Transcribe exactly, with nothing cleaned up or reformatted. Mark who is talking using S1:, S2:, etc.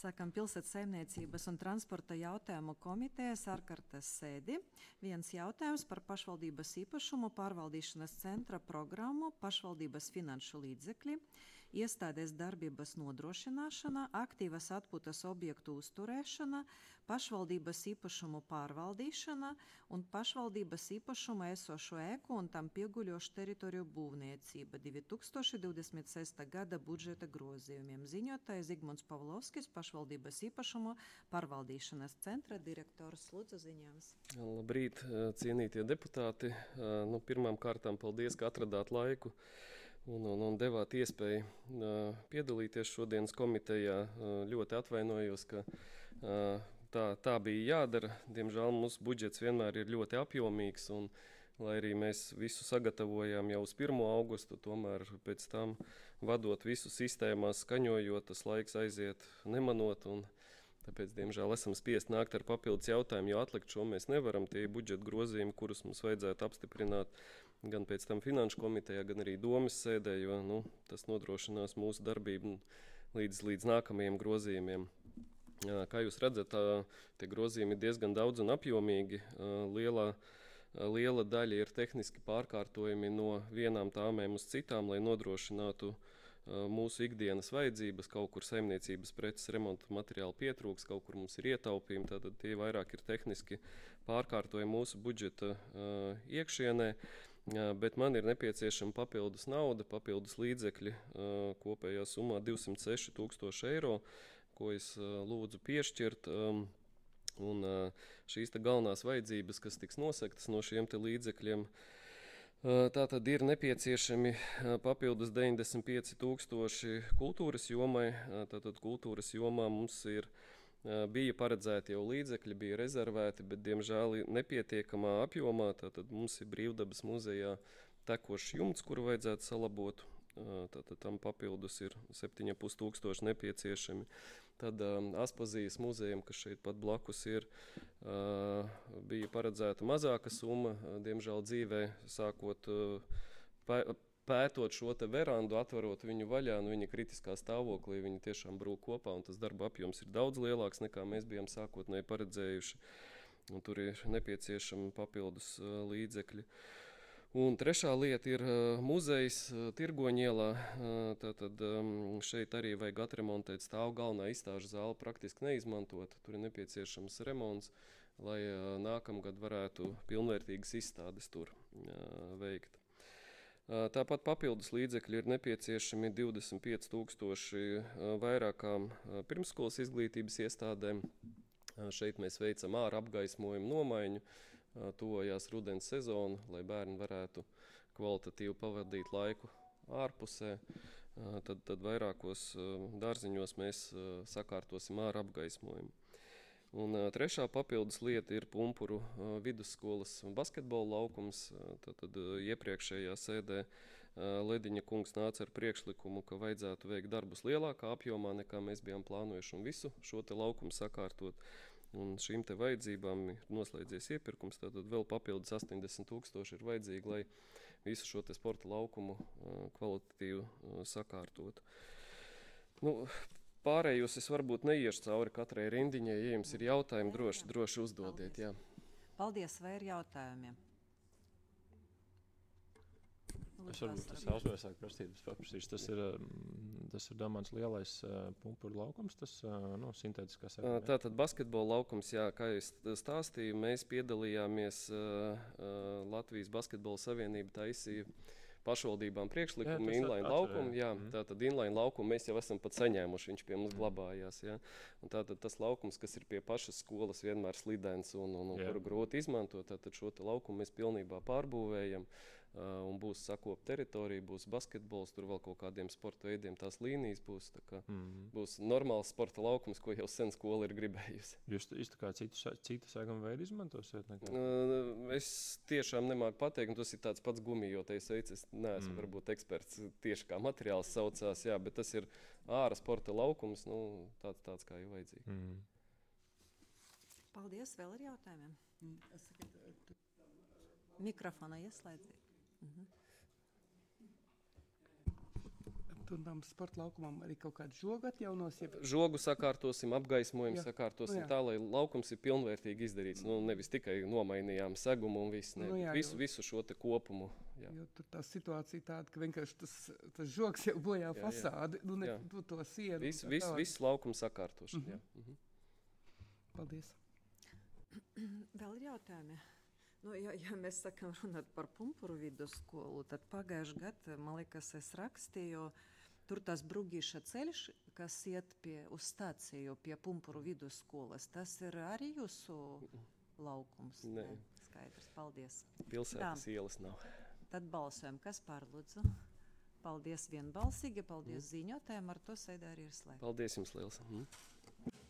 S1: Sākam pilsētas saimniecības un transporta jautājumu komitejas ārkārtas sēdi. Viens jautājums par pašvaldības īpašumu pārvaldīšanas centra programmu, pašvaldības finanšu līdzekļi, iestādes darbības nodrošināšana, aktīvas atpūtas objektu uzturēšana, pašvaldības īpašumu pārvaldīšana un pašvaldības īpašumu esošo ēku un tam pieguļošu teritoriju būvniecība divi tūkstoši divdesmit sestā gada budžeta grozījumiem. Ziņotājs Zigmunds Pavlovskis, pašvaldības īpašumu pārvaldīšanas centra direktors. Lūdzu, ziņojums.
S2: Labrīt, cienītie deputāti. Nu, pirmām kārtām paldies, ka atradāt laiku un, un, un devāt iespēju piedalīties šodienas komitejā. Ļoti atvainojos, ka tā, tā bija jādara. Diemžēl mūsu budžets vienmēr ir ļoti apjomīgs, un lai arī mēs visu sagatavojām jau uz pirmo augustu, tomēr pēc tam vadot visu sistēmās, skaņojot, tas laiks aiziet nemanot, un tāpēc, diemžēl, esam spiest nākt ar papildus jautājumu, jo atlikt šo mēs nevaram. Tie ir budžeta grozījumi, kurus mums vajadzētu apstiprināt gan pēc tam finanšu komitejā, gan arī domas sēdē, jo nu, tas nodrošinās mūsu darbību līdz, līdz nākamajiem grozījumiem. Kā jūs redzat, tie grozījumi ir diezgan daudz un apjomīgi. Lielā Liela daļa ir tehniski pārkārtojumi no vienām tāmēm uz citām, lai nodrošinātu mūsu ikdienas vajadzības. Kaut kur saimniecības preces remontu materiāli pietrūks, kaut kur mums ir ietaupījumi, tātad tie vairāk ir tehniski pārkārtojumi mūsu budžeta iekšienē, bet man ir nepieciešama papildus nauda, papildus līdzekļi kopējā summā divsimt seši tūkstoši eiro, ko es lūdzu piešķirt. Un šīs te galvenās vajadzības, kas tiks nosegtas no šiem te līdzekļiem, tātad ir nepieciešami papildus deviņdesmit pieci tūkstoši kultūras jomai. Tātad kultūras jomā mums ir, bija paredzēti jau līdzekļi, bija rezervēti, bet diemžēl nepietiekamā apjomā. Tātad mums ir Brīvdabas muzejā tekošs jumts, kuru vajadzētu salabot. Tātad tam papildus ir septiņi ar pus tūkstoši nepieciešami. Tad um, Aspazijas muzejam, kas šeit pat blakus ir, uh, bija paredzēta mazāka summa. Diemžēl dzīvē sākot uh, pē, pētot šo te verandu, atverot viņu vaļā, nu viņa kritiskā stāvoklī, viņa tiešām brūk kopā, un tas darba apjoms ir daudz lielāks, nekā mēs bijām sākotnēji paredzējuši. Un tur ir nepieciešami papildus uh, līdzekļi. Un trešā lieta ir uh, muzejs uh, Tirgoņielā. Uh, tātad um, šeit arī vajag atremontēt stāvu galvenā izstāžu zāli, praktiski neizmantot. Tur ir nepieciešams remonts, lai uh, nākamgad varētu pilnvērtīgas izstādes tur uh, veikt. Uh, tāpat papildus līdzekļi ir nepieciešami divdesmit pieci tūkstoši uh, vairākām uh, pirmsskolas izglītības iestādēm. Uh, šeit mēs veicam ārā apgaismojumu nomaiņu. Tuvojās rudens sezonu, lai bērni varētu kvalitatīvi pavadīt laiku ārpusē. Tad, tad vairākos dārziņos mēs sakārtosim ārā apgaismojumu. Un trešā papildus lieta ir Pumpuru vidusskolas basketbola laukums. Tad, tad iepriekšējā sēdē Lediņa kungs nāca ar priekšlikumu, ka vajadzētu veikt darbus lielākā apjomā, nekā mēs bijām plānojuši, un visu šo te laukumu sakārtot. Un šīm te vajadzībām ir noslēdzies iepirkums, tātad vēl papildus astoņdesmit tūkstoši ir vajadzīgi, lai visu šo te sporta laukumu kvalitatīvi sakārtotu. Nu, pārējos es varbūt neiešu cauri katrai rindiņai, ja jums ir jautājumi, droši, droši uzdodiet. Jā.
S1: Paldies, vai ir jautājumi?
S3: Es varbūt tas jautājums sāk prasīt, paprasīšu. Tas ir, tas ir domāts lielais uh, pumpuru laukums, tas uh, nu, sintētiskā sēkā.
S2: Tātad basketbola laukums, jā, kā es stāstīju, mēs piedalījāmies uh, uh, Latvijas basketbola savienība taisīja pašvaldībām priekšlikumu, inline laukumu, jā, mm. tātad inline laukumu mēs jau esam pat saņēmuši, viņš pie mums glabājās, jā. Un tātad tas laukums, kas ir pie pašas skolas vienmēr slidens un, un, un kuru grūti izmantot, tātad šo te laukumu mēs pilnībā pārbūvējam, uh, un būs sakop teritorija, būs basketbols, tur vēl kaut kādiem sporta veidiem tās līnijas būs, tā kā mm. būs normāls sporta laukums, ko jau sen skola ir gribējusi.
S3: Jūs tā kā citu, citu sēgumu veidu izmantosiet?
S2: Uh, es tiešām nemāku pateikt, un tas ir tāds pats gumijotais veids, es neesmu mm. varbūt eksperts tieši kā materiāls saucās, jā, bet tas ir āra sporta laukums, nu, tāds, tāds kā jau vajadzīgi. Mm.
S1: Paldies, vēl ir jautājumiem? Mikrofona ieslēdziet. Mhm.
S4: Un tam sporta laukumam arī kaut kādu žogu atjaunos? Jeb...
S2: Žogu sakārtosim, apgaismojumu
S4: Jā.
S2: sakārtosim
S4: Nu jā.
S2: tā, lai laukums ir pilnvērtīgi izdarīts. Nu, nevis tikai nomainījām segumu un viss, ne,
S4: Nu jā,
S2: visu,
S4: jo-
S2: visu šo te kopumu. Jā.
S4: Jo tur tā situācija tāda, ka vienkārši tas, tas žogs jau bojā
S2: Jā, jā.
S4: fasādi, nu ne
S2: Jā.
S4: tu to sienu.
S2: Viss,
S4: un tā
S2: viss,
S4: tālāk.
S2: viss laukums sakārtošana.
S4: Mhm.
S2: Jā. Mhm.
S4: Paldies.
S1: Vēl ir jautājumi? Nu, ja, ja mēs sakām runāt par Pumpuru vidusskolu, tad pagājuši gadu, man liekas, es rakstīju, tur tas Brugīša ceļš, kas iet pie, uz stāciju pie Pumpuru vidusskolas, tas ir arī jūsu laukums?
S2: Nē.
S1: Skaidrs, paldies.
S2: Pilsētas ielas nav.
S1: Tad balsojam, kas pārlūdzu? Paldies vienbalsīgi, paldies mm. ziņotēm, ar to sēdē arī ir slēgta.
S2: Paldies jums liels. Mhm.